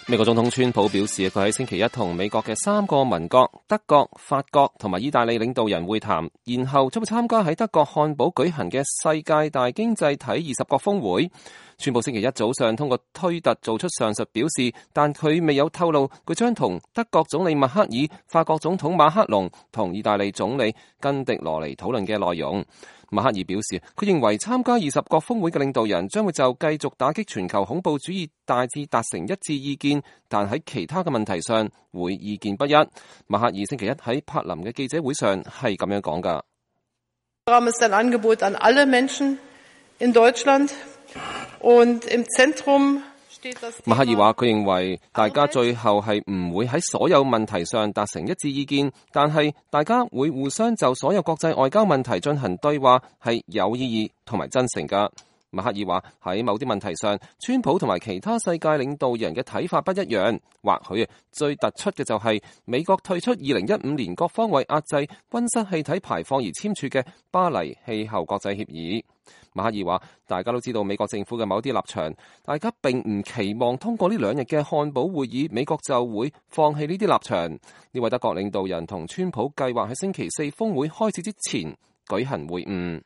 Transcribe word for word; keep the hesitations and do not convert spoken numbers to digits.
美國總統川普表示，佢喺星期一同美國嘅三個盟國德國、法國同埋意大利領導人會談，然後將會參加喺德國漢堡舉行嘅世界大經濟體二十國峰會。川普星期一早上通過推特做出上述表示，但佢未有透露佢將同德國總理默克爾、法國總統馬克龍同意大利總理根迪羅尼討論嘅內容。默克爾表示，佢認為參加二十國峰會嘅領導人將會就繼續打擊全球恐怖主義大致達成一致意見，但喺其他嘅問題上會意見不一。默克爾星期一喺柏林嘅記者會上係咁樣講㗎。默克爾話：佢認為大家最後係唔會喺所有問題上達成一致意見，但係大家會互相就所有國際外交問題進行對話，係有意義同埋真誠㗎。默克爾話：喺某啲問題上，川普同埋其他世界領導人嘅睇法不一樣，或許最突出嘅就係美國退出二零一五年各方為壓制溫室氣體排放而簽署嘅巴黎氣候國際協議。默克爾話：大家都知道美國政府嘅某啲立場，大家並唔期望通過呢兩日嘅漢堡會議，美國就會放棄呢啲立場。呢位德國領導人同川普計劃喺星期四峰會開始之前舉行會晤。